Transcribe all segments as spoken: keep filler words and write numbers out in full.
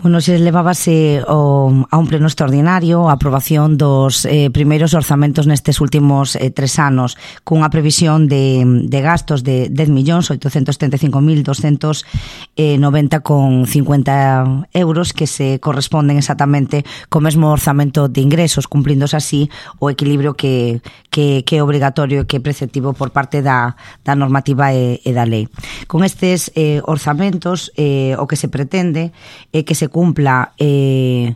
Bueno, se levábase o, a un pleno extraordinario a aprobación dos eh, primeiros orzamentos nestes últimos eh, tres anos, cunha previsión de, de gastos de dez millóns oitocentos setenta e cinco mil doscientos noventa con cincuenta euros que se corresponden exactamente co mesmo orzamento de ingresos, cumplíndose así o equilibrio que, que, que é obrigatorio e que é preceptivo por parte da, da normativa e, e da lei. Con estes eh, orzamentos eh, o que se pretende é que se cumpla eh,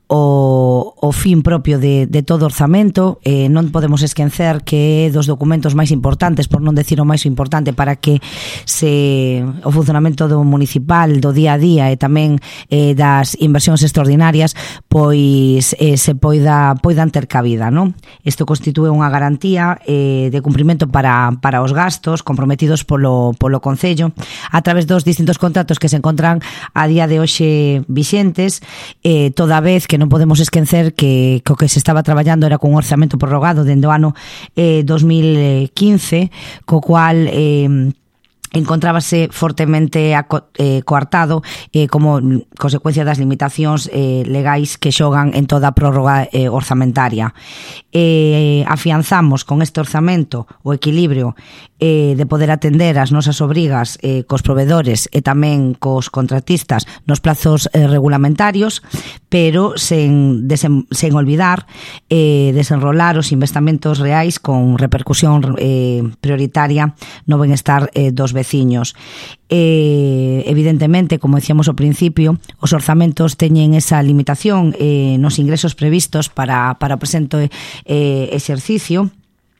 o, o fin propio de, de todo orzamento. Eh, non podemos esquecer que é dos documentos máis importantes, por non decir o máis importante, para que se o funcionamento do municipal, do día a día e tamén eh, das inversións extraordinarias pois eh, se poida, poidan ter cabida, non? Isto constitúe unha garantía eh, de cumprimento para, para os gastos comprometidos polo, polo Concello a través dos distintos contratos que se encontran a día de hoxe vixentes, eh, toda vez que non podemos esquecer que, que o que se estaba traballando era cun orzamento prorrogado dende o ano eh, dos mil quince, co cual eh, encontrábase fortemente aco, eh, coartado eh, como consecuencia das limitacións eh, legais que xogan en toda a prórroga eh, orzamentaria. Eh, afianzamos con este orzamento o equilibrio eh, de poder atender as nosas obrigas eh, cos provedores e tamén cos contratistas nos plazos eh, regulamentarios, pero sen, desen, sen olvidar eh, desenrolar os investimentos reais con repercusión eh, prioritaria no benestar eh, dos veciños. Eh, evidentemente, como decíamos ao principio, os orzamentos teñen esa limitación eh, nos ingresos previstos para, para o presente eh, exercicio,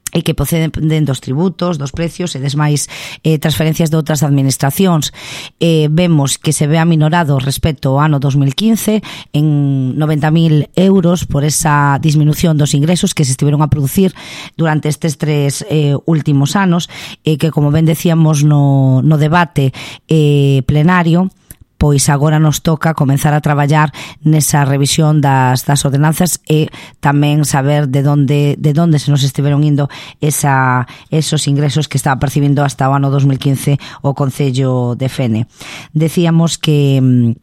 e que proceden dos tributos, dos precios e des máis eh, transferencias de outras administracións. Eh, vemos que se ve aminorado respecto ao ano dos mil quince en noventa mil euros por esa disminución dos ingresos que se estiveron a producir durante estes tres eh, últimos anos, e eh, que, como ben decíamos no, no debate eh, plenario, pois agora nos toca comenzar a traballar nesa revisión das, das ordenanzas e tamén saber de donde, de donde se nos estiveron indo esa, esos ingresos que estaba percibindo hasta o ano dos mil quince o Concello de Fene. Decíamos que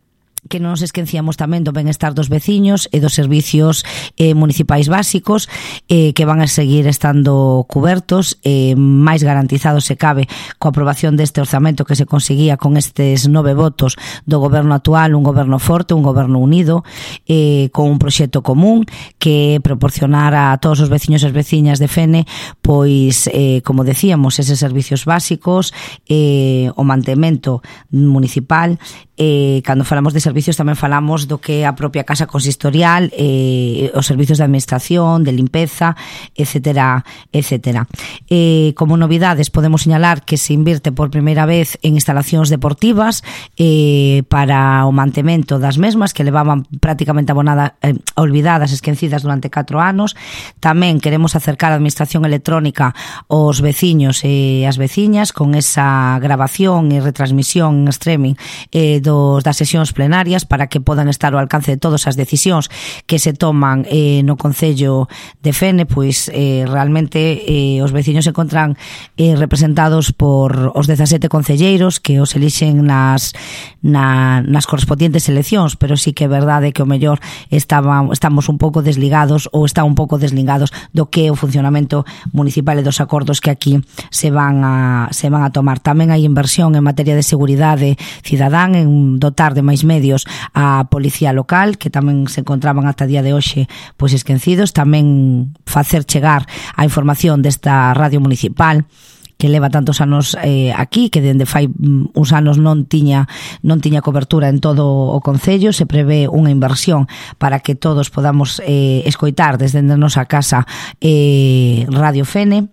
que non nos esquecíamos tamén do benestar dos veciños e dos servicios eh, municipais básicos eh, que van a seguir estando cubertos, eh, máis garantizados se cabe coa aprobación deste orzamento que se conseguía con estes nove votos do goberno actual, un goberno forte, un goberno unido, eh, con un proxecto común que proporcionar a todos os veciños e as veciñas de Fene pois, eh, como decíamos, eses servicios básicos, eh, o mantemento municipal. Eh, cando falamos de servicios tamén falamos do que é a propia casa consistorial, eh, os servicios de administración, de limpeza, etcétera, etcétera. Eh, como novidades podemos señalar que se invirte por primeira vez en instalacións deportivas eh, para o mantemento das mesmas que levaban prácticamente abonada, eh, olvidadas, esquecidas durante catro anos. Tamén queremos acercar a administración electrónica aos veciños e as veciñas con esa grabación e retransmisión en streaming eh, dos, das sesións plenarias para que podan estar ao alcance de todas as decisións que se toman eh, no Concello de Fene, pois eh, realmente eh, os veciños se encontran eh, representados por os dezasete concelleiros que os elixen nas, na, nas correspondientes eleccións, pero sí que é verdade que o mellor estaba, estamos un pouco desligados ou está un pouco desligados do que é o funcionamento municipal e dos acordos que aquí se van a, se van a tomar. Tamén hai inversión en materia de seguridade cidadán, en dotar de máis medios a policía local, que tamén se encontraban ata día de hoxe pois esquecidos, tamén facer chegar a información desta radio municipal que leva tantos anos eh, aquí, que dende fai uns anos non tiña non tiña cobertura en todo o Concello. Se prevé unha inversión para que todos podamos eh, escoitar desde a nosa casa eh, Radio Fene.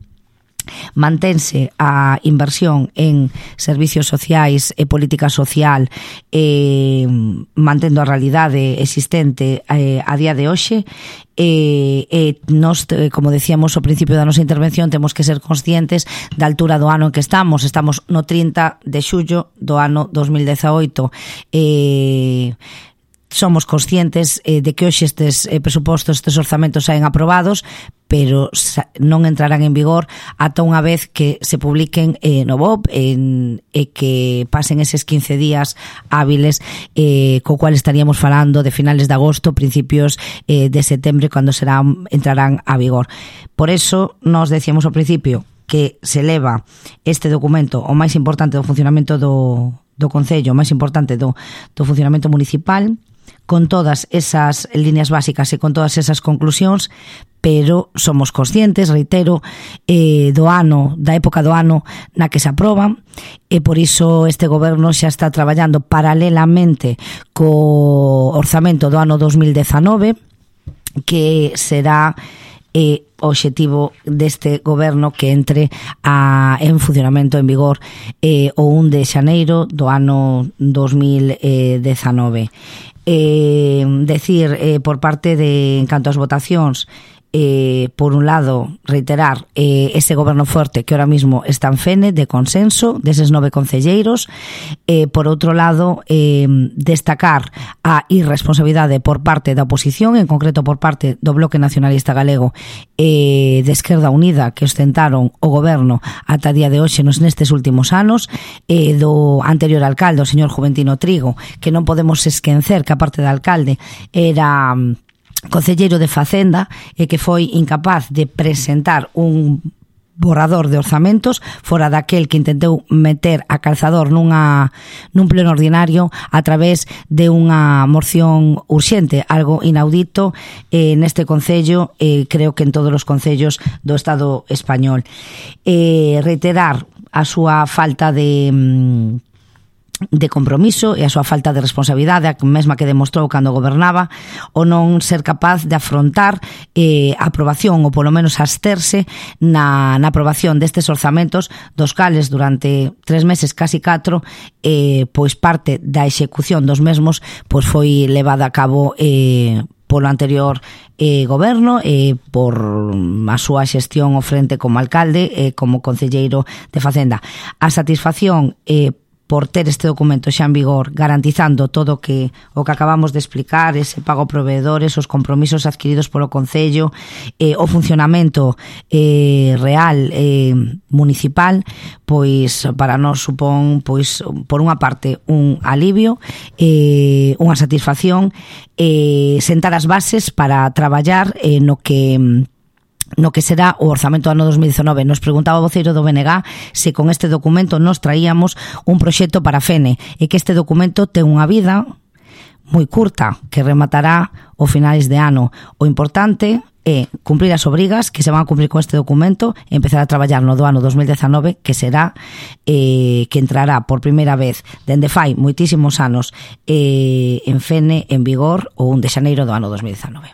Mantense a inversión en servicios sociais e política social, eh, mantendo a realidade existente eh, a día de hoxe. E, e nos, como decíamos ao principio da nosa intervención, temos que ser conscientes da altura do ano en que estamos. Estamos no trinta de xullo do ano dos mil dezaoito. E somos conscientes eh, de que hoxe estes eh, presupostos, estes orzamentos saen aprobados, pero non entrarán en vigor ata unha vez que se publiquen eh, no B O P en, e que pasen eses quince días hábiles, eh, co cual estaríamos falando de finales de agosto, principios eh, de setembro, cando serán, entrarán a vigor. Por eso, nos decíamos ao principio que se leva este documento o máis importante do funcionamento do, do Concello, o máis importante do, do funcionamento municipal, con todas esas líneas básicas e con todas esas conclusións, pero somos conscientes, reitero, eh, do ano, da época do ano na que se aproban, e por iso este goberno xa está traballando paralelamente co orzamento do ano dos mil dezanove, que será eh, o obxectivo deste goberno que entre a, en funcionamento en vigor eh, o un de xaneiro do ano dos mil dezanove. Eh, decir, eh, por parte de, en canto ás votacións, Eh, por un lado, reiterar eh, ese goberno forte que ahora mismo está en Fene, de consenso, deses nove concelleiros. Eh, por outro lado, eh, destacar a irresponsabilidade por parte da oposición, en concreto por parte do Bloque Nacionalista Galego e eh, de Esquerda Unida, que ostentaron o goberno ata día de hoxe nos nestes últimos anos, eh, do anterior alcalde, o señor Juventino Trigo, que non podemos esquecer que a parte do alcalde era concelleiro de Facenda e que foi incapaz de presentar un borrador de orzamentos fora daquel que intentou meter a calzador nunha, nun pleno ordinario a través de unha moción urxente, algo inaudito eh, neste concello, eh, creo que en todos os concellos do Estado español. Eh, reiterar a súa falta de de compromiso e a súa falta de responsabilidade, a mesma que demostrou cando gobernaba, o non ser capaz de afrontar eh, a aprobación, ou polo menos absterse na, na aprobación destes orzamentos, dos cales durante tres meses, casi catro, eh, pois parte da execución dos mesmos pois foi levada a cabo eh, polo anterior eh, goberno e eh, por a súa xestión ao frente como alcalde e eh, como concelleiro de Facenda. A satisfacción eh, por ter este documento xa en vigor, garantizando todo o que o que acabamos de explicar, ese pago a proveedores, os compromisos adquiridos polo Concello, eh, o funcionamento eh, real eh, municipal, pois para nós supón, pois por unha parte, un alivio, eh, unha satisfacción, eh, sentar as bases para traballar eh, no que no que será o orzamento do ano dos mil dezanove. Nos preguntaba o voceiro do B N G se con este documento nos traíamos un proxecto para Fene, e que este documento ten unha vida moi curta, que rematará o finais de ano. O importante é cumprir as obrigas que se van a cumprir con este documento e empezar a traballar no do ano dos mil dezanove, que será eh, que entrará por primeira vez dende fai moitísimos anos eh, en Fene en vigor o un de xaneiro do ano dos mil dezanove.